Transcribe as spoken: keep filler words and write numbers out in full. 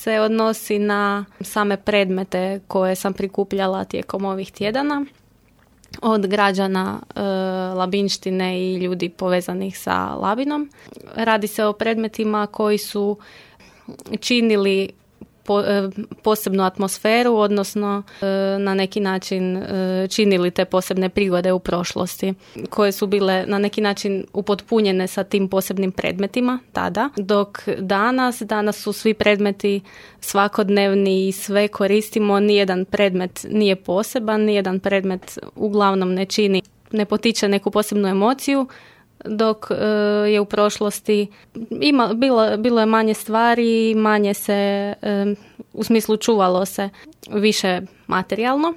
se odnosi na same predmete koje sam prikupljala tijekom ovih tjedana od građana e, Labinštine i ljudi povezanih sa Labinom. Radi se o predmetima koji su činili po, e, posebnu atmosferu, odnosno e, na neki način e, činili te posebne prigode u prošlosti, koje su bile na neki način upotpunjene sa tim posebnim predmetima tada, dok danas, danas su svi predmeti svakodnevni i sve koristimo, nijedan predmet nije poseban, nijedan predmet uglavnom ne čini, ne potiče neku posebnu emociju, dok e, je u prošlosti ima, bilo, bilo je manje stvari, manje se, e, u smislu čuvalo se više materijalno.